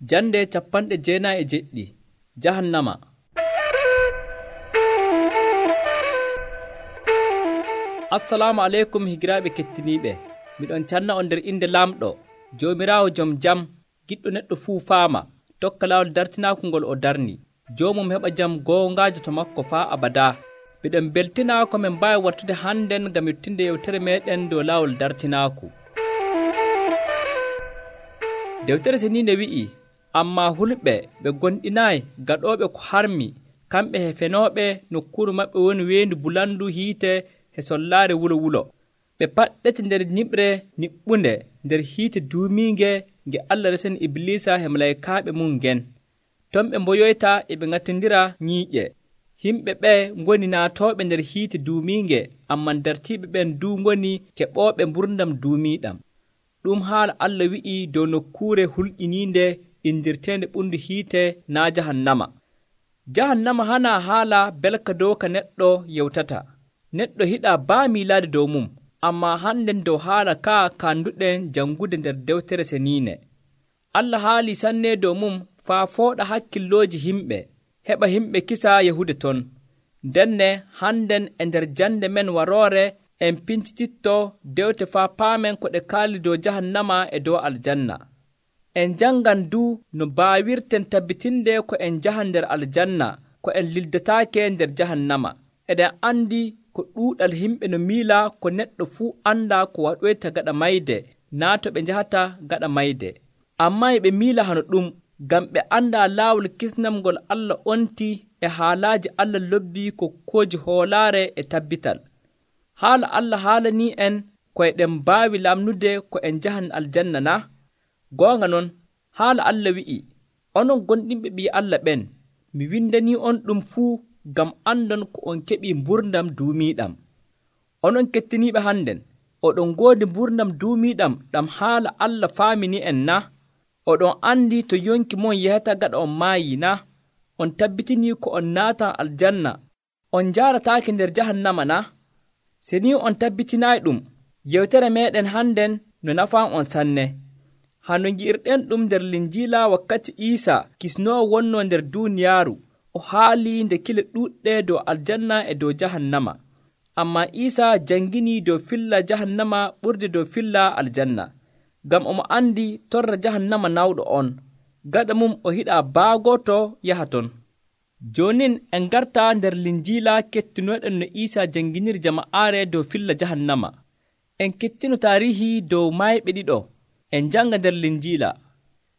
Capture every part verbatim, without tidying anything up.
Jande capanɗe jeenayi e jeɗɗi. Jahannama. Assalamu aleykum higiraaɓe kettiniiɓe. Miɗon canna on nder inde Laamɗo, Joomiraawo jom jam, giɗɗo neɗɗo fuu faama, tokka laawol dartinaaku ngol o darni. Joomum heɓa jam goongaajo to makko faa abadaa. Miɗen beltinaa ko min mbaawi wattude hannden ngam yottinde yewtere meeɗen dow laawol dartinaaku. Dewtere seniinde wi'ii, ammaa hulɓe ɓe gonɗinaayi gaɗooɓe ko harmi, kamɓe hefenooɓe nokkuuru maɓɓe woni weendu bulandu hiite e sollaare wulo wulo. Ɓe paɗɗete nder ñiɓre niɓɓunde nder hiite duumiinge nge Allah resani Iblisa e malaykaaɓe mum ngen. Ton ɓe mboyoyta e ɓe ŋattindira ñiiƴe. Himɓe ɓee ngoni naatooɓe nder hiite duumiinge, amman dartiiɓe ɓen du ngoni keɓooɓe mburdam duumiiɗam. Ɗum haala Allah wi'ii dow nokkuure hulƴiniinde indirteende ɓundu hiite naa jahannama. Jahannama hanaa haala belka dow ka neɗɗo yewtata. Neɗɗo hiɗaa baa miilaade dow mum, ammaa hannden dow haala kaa kaanduɗen janngude nder dewtere seniine. Allah haalii sanne dow mum faa fooɗa hakkillooji himɓe, heɓa himɓe kisa yahude ton. Ndenne hannden e nder jande men waroore en pincititto dewte faa paamen ko ɗe kaali dow jahannama e dow aljanna. En janngan du no baawirten tabbitinde ko en njahan nder aljanna, ko en lildataake nder jahannama. Eɗen anndi ko ɗuuɗal himɓe no miila ko neɗɗo fuu anndaa ko waɗoyta gaɗa mayde naa to ɓe njahata gaɗa mayde. Ammaa e ɓe miila hano ɗum, ngam ɓe anndaa laawol kisnam ngol Allah onti e haalaaji Allah lobbii kokkooji hoolaare e tabbital. Haala Allah haalanii en ko eɗen mbaawi lamnude ko en njahan aljanna na? Goonga non, haala Allah wi'ii, onon gonɗinɓe ɓii Allah ɓen, mi windanii on ɗum fuu ngam andon ko on keɓii mburdam duumiiɗam. Onon kettiniiɓe hannden, oɗon ngoodi mburdam duumiiɗam ɗam haala Allah faamini en na? Oɗon anndi to yonki mon yahata gaɗa on maayii na? On tabbitinii ko on naatan aljanna, on njaarataake nder jahannama na? Se ni on tabbitinaayi ɗum, yewtere meeɗen hannden no nafan on sanne. Hano ngi'irɗen ɗum nder Linjiila wakkati Iisa kisnoowo wonnoo nder duuniyaaru, o haalii nde kile ɗuuɗɗe dow aljanna e dow jahannama. Ammaa Iisa janginii dow filla jahannama ɓurde dow filla aljanna, ngam omo anndi torra jahannama nawɗo on, gaɗa mum o hiɗaa baagooto yaha ton. Joonin en ngartaa nder Linjiila kettinooɗen no Iisa janginiri jama'aare dow filla jahannama. En kettino taarihi dow maayɓe ɗiɗo. En janga nder Linjiila.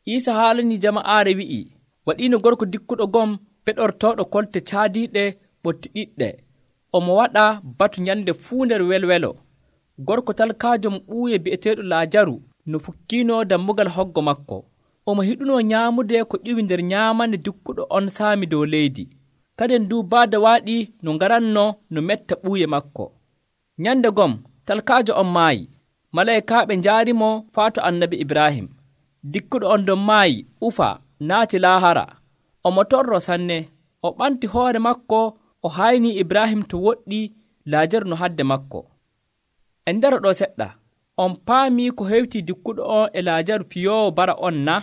Iisa haalanii jama'aare wi'ii, waɗiino gorko dikkuɗo gom peɗortooɗo kolte caadiiɗe ɓotti ɗiɗɗe. Omo waɗa batu nyande fuu nder welwelo. Gorko talkaajo mo ɓuuye bi'eteeɗo Laajaru no fukkiino dammugal hoggo makko. Omo hiɗunoo nyaamude ko ƴiwi nder nyaamande dikkuɗo on saami dow leydi. Kaden du baada waaɗi no ngaranno no metta ɓuuye makko. Nyande gom talkaajo on maayi. Malaykaaɓe njaarimo faa to annabi Ibrahim. Dikkuɗo on ɗon maayi ufa naati laahara. Omo torro sanne, o ɓanti hoore makko, o haynii Ibrahim to woɗɗi Laajaru no hadde makko. En ndaro ɗo seɗɗa, on paamii ko hewtii dikkuɗo on e Laajaru piyoowo bara on na?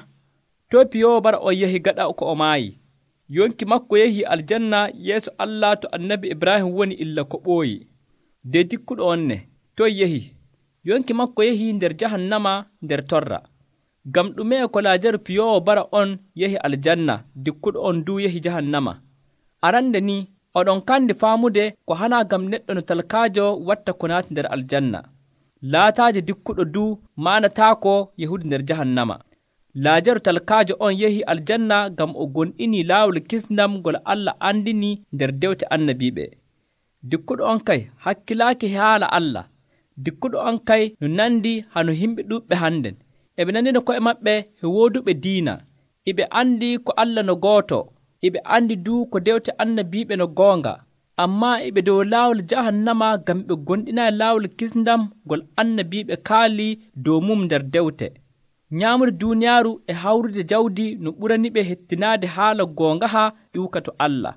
To piyoowo bara on yahi gaɗa ko o maayi. Yonki makko yahii aljanna yeeso Allah to annabi Ibrahim woni illa ko ɓooyi. De dikkuɗo on ne, to yahi. Yonki makko yahii nder jahannama nder torra. Ngam ɗume ko Laajaru piyoowo bara on yahi aljanna, dikkuɗo on du yahi jahannama? Arande ni, oɗon kandi faamude ko hanaa ngam neɗɗo no talkaajo watta ko naati nder aljanna. Laataaje dikkuɗo du maanataako yahude nder jahannama. Laajaru talkaajo on yahi aljanna ngam o gonɗinii laawol kisndam ngol Allah andini nder dewte annabiiɓe. Dikkuɗo on kay hakkilaaki haala Allah. Dikkuɗo on kay no nandi hano himɓe ɗuuɓɓe hannden. Eɓe nandino ko'e maɓɓe he wooduɓe diina. Eɓe andi ko Allah no gooto. Eɓe andi du ko dewte annabiiɓe no goonga. Ammaa eɓe dow laawol jahannama ngam ɓe gonɗinaayi laawol kisndam ngol annabiiɓe kaali dow mum nder dewte. Nyaamude duuniyaaru e hawrude jawdi no ɓuraniɓe hettinaade haala goongaha ƴuuka to Allah.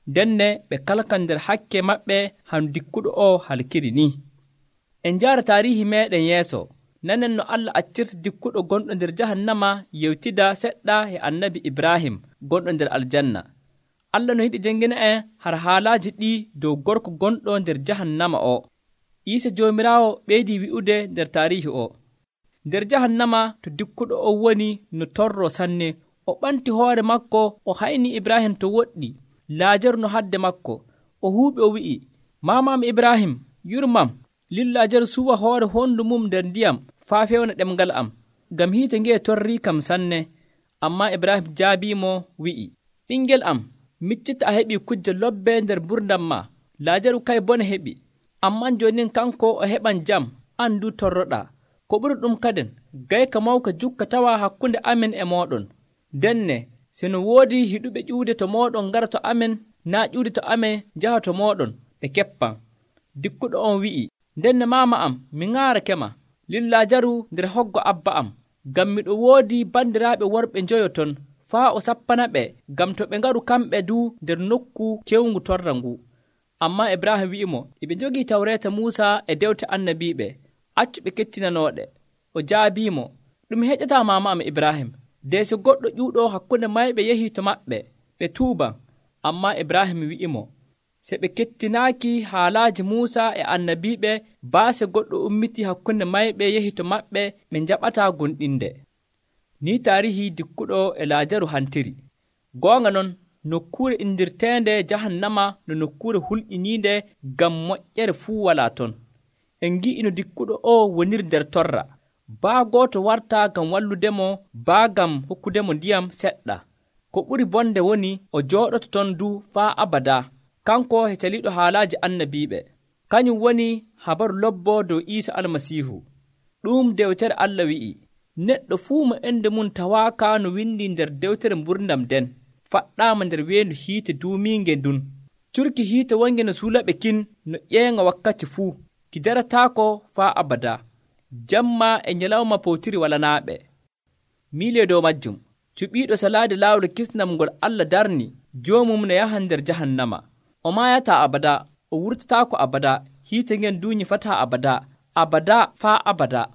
Ndenne ɓe kalkan nder hakke maɓɓe hano dikkuɗo o halkiri ni. En njaara taarihi meeɗen yeeso. nanen no Allah accirta dikkuɗo gonɗo nder jahannama yewtida seɗɗa e annabi Ibrahim gonɗo nder aljanna. Allah no yiɗi jangina en har haalaaji ɗi dow gorko gonɗo nder jahannama o. Iisa Joomiraawo ɓeydi wi'ude nder taarihi o, nder jahannama to dikkuɗo o woni no torro sanne, o ɓanti hoore makko, o hayni Ibrahim to woɗɗi, Laajaru no hadde makko. O huuɓi o wi'i, maamam Ibrahim, yurmam, lil Laajaru suwa hoore hondu mum nder ndiyam faa fewna ɗemgal am, ngam hiite ngee torrii kam sanne. Ammaa Ibrahim jaabiimo wi'i, ɓingel am, miccita a heɓii kujje lobbe nder mburdam ma, Laajaru kay bone heɓi, amman joonin kanko o heɓan jam, an du torroɗaa. Ko ɓuri ɗum kaden, gayka mawka jukka tawa hakkunde amin e mooɗon. Denne, sino woodi hiɗuɓe ƴuude to mooɗon ngara to amen, naa ƴuude to amen njaha to mooɗon, ɓe keppan. Dikkuɗo on wi'i, ndenne maama am, mi ŋaarake ma, lil Laajaru nder hoggo abba am, ngam miɗo woodi bandiraaɓe worɓe njoyo ton, faa o sappana ɓe, ngam to ɓe ngaru kamɓe du nder nokku kewngu torra ngu. Ammaa Ibrahim wi'imo, eɓe njogii tawreeta Muusa e dewte annabiiɓe, accu ɓe kettinanooɗe. O jaabiimo, ɗum heƴataa maama am Ibrahim, de so goɗɗo ƴuuɗo hakkunde mayɓe yehii to maɓɓe, ɓe tuuban. Ammaa Ibrahim wi'imo, se ɓe kettinaaki haalaaji Muusa e annabiiɓe, baase goɗɗo ummitii hakkunde mayɓe yehii to maɓɓe, ɓe njaɓataa gonɗinde. Ni taarihi dikkuɗo e Laajaru hantiri. Goonga non, nokkuure indirteende jahannama no nokkuure hulƴiniinde ngam moƴƴere fuu walaa ton. En ngi'i no dikkuɗo o woniri nder torra, baa gooto wartaa ngam walludemo, baa ngam hokkudemo ndiyam seɗɗa. Ko ɓuri bonde woni o jooɗoto ton du faa abadaa, kanko e caliiɗo haalaaji annabiiɓe. Kañum woni habaru lobbo dow Iisa Almasiihu. Ɗum dewtere Allah wi'i, neɗɗo fuu mo ende mum tawaaka no windi nder dewtere mburdam nden, faɗɗaama nder weendu hiite duumiinge ndun. Curki hiite wonge no suulaɓe kin no ƴeeŋa wakkati fuu, ki darataako faa abadaa. Jamma e nyalawma powtiri walanaaɓe. Miile dow majjum, cuɓiiɗo salaade laawol kisnam ngol Allah darni, joomum no yahan nder jahannama. O maayataa abadaa, o wurtataako abadaa, hiite ngen du nyifataa abadaa, abadaa faa abadaa.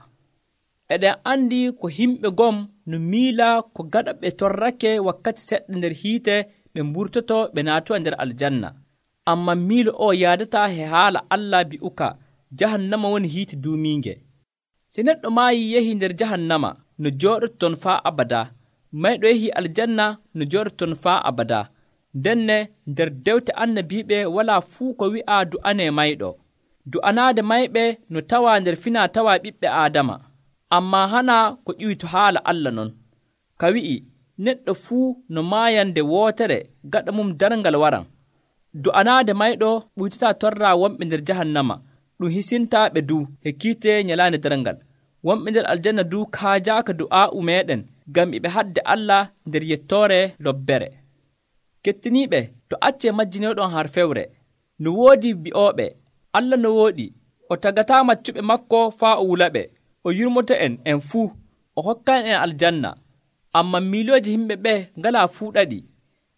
Eɗen andi ko himɓe gom no miila ko gaɗa ɓe torrake wakkati seɗɗa nder hiite ɓe mburtoto ɓe naatowa nder aljanna. Amman miilo o yaadataa he haala Allah bi'uka, jahannama woni hiite duumiinge. Si neɗɗo maayi yehi nder jahannama no jooɗoto ton faa abadaa, mayɗo yehi aljanna no jooɗoto ton faa abadaa. Ndenne nder dewte annabiiɓe walaa fuu ko wi'a du'anee mayɗo. Du'anaade mayɓe no tawaa nder finaa tawaa ɓiɓɓe Aadama. Ammaa hana ko ƴiwi to haala Allah non, ka wi'i neɗɗo fuu no maayande wootere gaɗa mum darngal waran. Du'anaade mayɗo ɓuytataa torraa wonɓe nder jahannama, ɗum hisintaaɓe du he kiite nyalaande darngal. Wonɓe nder aljanna du kaajaaka du'aa'u meeɗen ngam eɓe hadde Allah nder yettoore lobbere. Kettiniiɓe, to accee majjinooɗon har fewre. No woodi bi'ooɓe, Allah no wooɗi, o tagataa maccuɓe makko faa o wulaɓe, o yurmoto en en fuu, o hokkan en aljanna. Ammaa miilooji yimɓe ɓe ngalaa fuu ɗaɗi.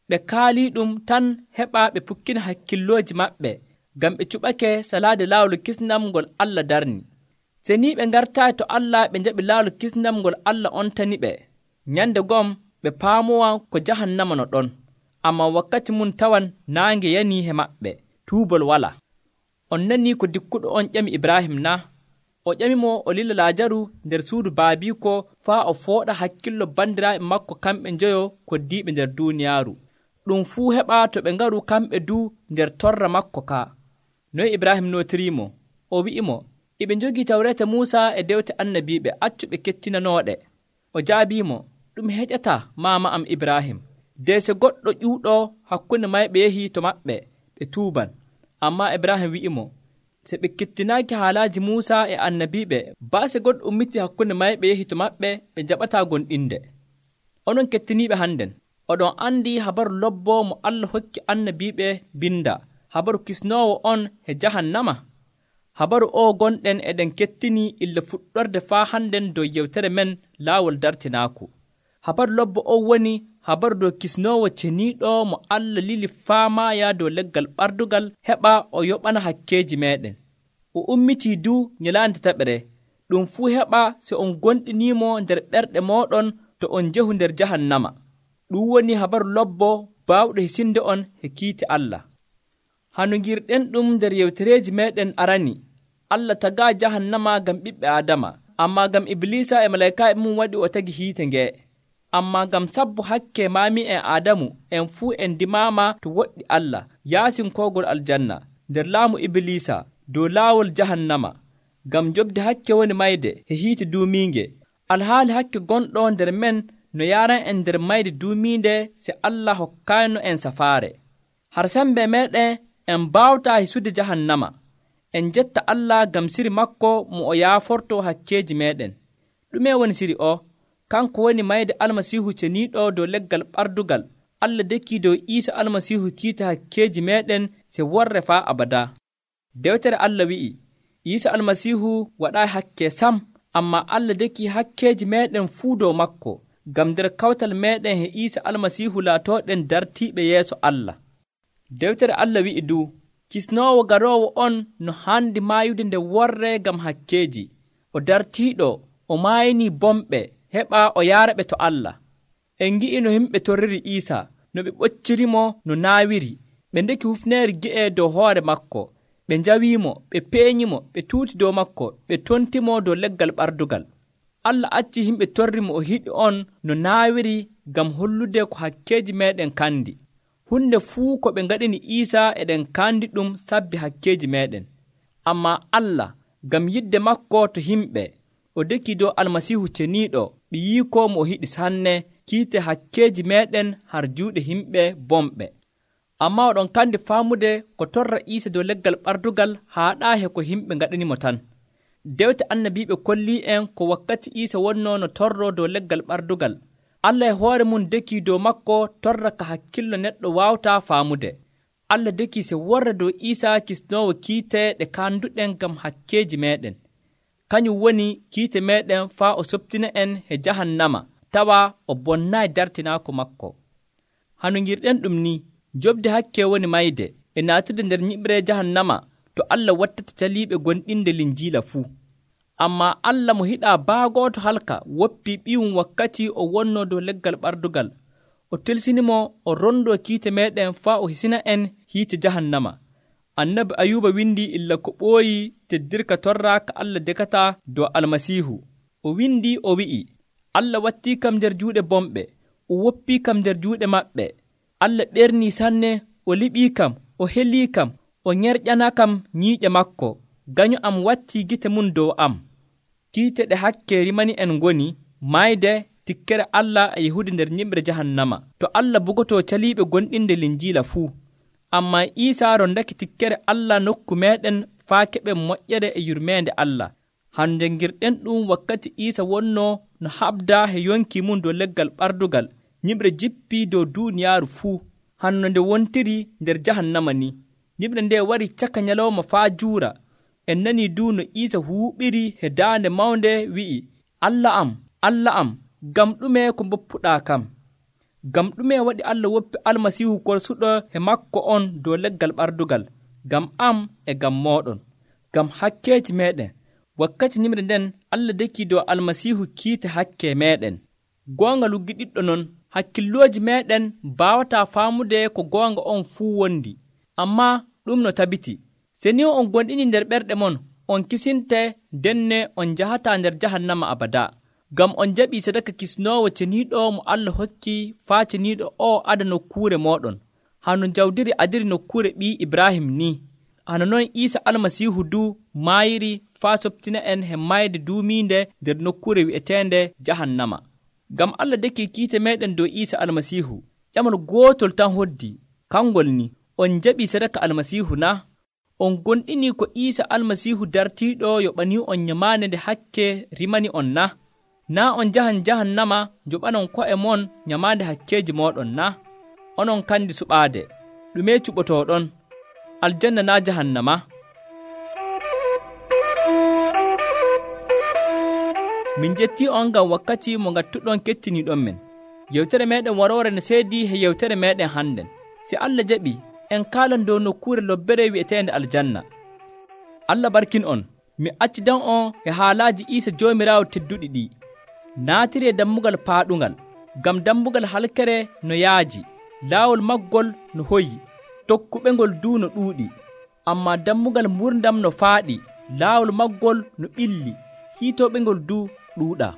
Ɓe kaalii ɗum tan heɓaa ɓe pukkina hakkillooji maɓɓe, ngam ɓe cuɓake salaade laawol kisnam ngol Allah darni. Se ni ɓe ngartaayi to Allah ɓe njaɓi laawol kisnam ngol Allah ontani ɓe, nyande gom ɓe paamowan ko jahannama no ɗon. Ammaa wakkati mum tawan naange yanii he maɓɓe, tuubol walaa. On nanii ko dikkuɗo on ƴami Ibrahim na? O ƴamimo o lila Laajaru nder suudu baabiiko faa o fooɗa hakkillo bandiraaɓe makko kamɓe njoyo koddiiɓe nder duuniyaaru. Ɗum fuu heɓaa to ɓe ngaru kamɓe du nder torra makko kaa. Noy Ibrahim nootiriimo? O wi'imo, eɓe njogii tawreeta Muusa e dewte annabiiɓe, accu ɓe kettinanooɗe. O jaabiimo, ɗum heƴataa maama am Ibrahim, de so goɗɗo ƴuuɗo hakkunde mayɓe yehii to maɓɓe, ɓe tuuban. Ammaa Ibrahim wi'imo, so ɓe kettinaaki haalaaji Muusa e annabiiɓe, baase goɗɗo ummitii hakkunde mayɓe yehii to maɓɓe, ɓe njaɓataa gonɗinde. Onon kettiniiɓe hannden, oɗon anndi habaru lobbo mo Allah hokki annabiiɓe binda, habaru kisnoowo on he jahannama. Habaru o gonɗen eɗen kettinii illa fuɗɗorde faa hannden dow yewtere men laawol dartinaaku. Habaru lobbo o woni habaru dow kisnoowo ceniiɗo mo Allah lili faa maaya dow leggal ɓardugal heɓa o yoɓana hakkeeji meeɗen. O ummitii du nyalaande taɓere, ɗum fuu heɓa so on gonɗinimo nder ɓerɗe moɗon to on jehu nder jahannama. ɗum woni habaru lobbo baawɗo hisinde on he kiite Allah. hanu girɗen ɗum nder yewtereeji meɗen arani. Allah tagaa jahannama ngam ɓiɓɓe Aadama, amma ngam Iblisa e malayka'en mum waɗi o tagi hiite ngee. amma ngam sabbo hakke maami en Aadamu en fuu en dimaama to woɗɗi Allah yaasinkoogol aljanna nder laamu Iblisa dow laawol jahannama, ngam jobde hakke woni mayde he hiite duumiinge. alhaali hakke gonɗo nder men no yaran en nder mayde duumiinde se Allah hokkaayno en safaare. har sembe meɗen en baawtaa hisude jahannama. en jetta Allah ngam siri makko mo o yaaforto hakkeeji meɗen. ɗume woni siri o? kanko woni mayde almasiihu ceniiɗo dow leggal ɓardugal. Allah dekki dow Iisa almasiihu kiita hakkeeji meɗen se worre faa abada. dewtere Allah wi'i Iisa almasiihu waɗaa hakke sam, amma Allah dekki hakkeeji meɗen fuu dow makko, ngam nder kawtal meɗen he Iisa almasiihu laatooɗen dartiiɓe yeeso Allah. dewtere Allah wi'i du kisnoowo garoowo on no handi maayude nde worre ngam hakkeeji. o dartiiɗo o maayini bomɓe heɓa o yaara ɓe to Allah. en ngi'i no yimɓe torriri Iisa, no ɓe ɓoccirimo no naawiri. ɓe ndeki hufneere gi'e dow hoore makko, ɓe njawiimo, ɓe peeñimo, ɓe tuuti dow makko, ɓe tontimo dow leggal ɓardugal. Allah acci yimɓe torrimo o hiɗi on no naawiri ngam hollude ko hakkeeji meɗen kandi. hunde fuu ko ɓe ngaɗini Iisa eɗen kandi ɗum sabbi hakkeeji meɗen. amma Allah ngam yidde makko to yimɓe, o dekki dow almasiihu ceniiɗo ɓe yiiko mo o hiɗi sanne kiite hakkeeji meɗen har juuɗe yimɓe bomɓe. amma oɗon kandi faamude ko torra Iisa dow leggal ɓardugal haaɗaa he ko yimɓe ngaɗanimo tan. dewte annabiiɓe kolli en ko wakkati Iisa wonno no torro dow leggal ɓardugal. Allah e hoore mum dekki dow makko torra ka hakkillo neɗɗo waawtaa faamude. Allah dekki se worra dow Iisa kisnoowo kiite ɗe kanduɗen ngam hakkeeji meɗen. kañum woni kiite meɗen faa o soptina en he jahannama, tawa o bonnaayi dartinaako makko. hanu ngirɗen ɗum ni, jobde hakke woni mayde e naatude nder nyiɓre jahannama to Allah wattata caliiɓe gonɗinde linjiila fuu. amma Allah mo hiɗaa baagooto halka woppii ɓiyum wakkati o wonno dow leggal ɓardugal. o telsinimo o rondo kiite meɗen faa o hisina en hiite jahannama. annabi Ayuba windi illa ko ɓooyi teddirka torra ka Allah dekata dow almasiihu. o windi o wi'i, Allah wattii kam nder juuɗe bomɓe, o woppii kam nder juuɗe maɓɓe. Allah ɓernii sanne, o liɓii kam, o helii kam, o ñerƴana kam ñiiƴe makko. gaño am wattii gite mum dow am. kiite ɗe hakke rimani en ngoni mayde tikkere Allah e yehude nder ñiɓre jahannama to Allah bugotoo caliiɓe gonɗinde linjiila fuu. amma Iisa rondake tikkere Allah nokku meɗen faa keɓen moƴƴere e yurmeende Allah. han jangirɗen ɗum wakkati Iisa wonno no haɓda he yonki mum dow leggal ɓardugal. ñiɓre jippii dow duuniyaaru fuu, hanno nde wontiri nder jahannama ni. ñiɓre nde wari caka nyalawma faa juura. en nani du no Iisa huuɓiri he daande mawnde wi'i, Allah am, Allah am, ngam ɗume ko mboppuɗaa kam? ngam ɗume waɗi Allah woppi almasiihu korsuɗo he makko on dow leggal ɓardugal? ngam am e ngam mooɗon, ngam hakkeeji meɗen. wakkati ñimre nden Allah dekki dow almasiihu kiite hakke meɗen. goonga luggiɗiɗɗo non, hakkillooji meɗen mbaawataa faamude ko goonga on fuu wondi. amma ɗum no tabiti, se ni on gonɗini nder ɓerɗe mon, on kisinte denne on njahataa nder jahannama abada. ngam on jaɓii sadaka kisnoowo ceniiɗo mo Allah hokki faa ceniiɗo o ada nokkuure mooɗon, hano jawdiri adiri nokkuure ɓii Ibrahim ni. hano noon Iisa almasiihu du maayiri faa soptina en he mayde duumiinde nder nokkuure wi'eteende jahannama. ngam Allah dekki kiite meɗen dow Iisa almasiihu, ƴamal gootol tan hoddi, kangol ni, on jaɓii sadaka almasiihu na? on gonɗini ko Iisa almasiihu dartiiɗo yoɓanii on nyamaande nde hakke rimani on na? na on jahan jahannama joɓanon ko'e mon nyamaande hakkeeji mooɗon na? onon kandi suɓaade, ɗume cuɓotooɗon? aljanna na jahannama? min jettii on ngam wakkati mo ngattuɗon kettiniiɗon men. yewtere meɗen waroore no seedi he yewtere meɗen hannden. si Allah jaɓi en kaalan dow nokkuure lobbere wi'eteende aljanna. Allah barkin on. mi accidan on e haalaaji Iisa Joomiraawo tedduɗi ɗi. Naatiree dammugal paaɗungal, ngam dammugal halkere no yaaji, laawol maggol no hoyi, tokkuɓengol duu no ɗuuɗi. Ammaa dammugal murdam no faaɗi, laawol maggol no ɓilli, hiitooɓengol duu ɗuuɗaa.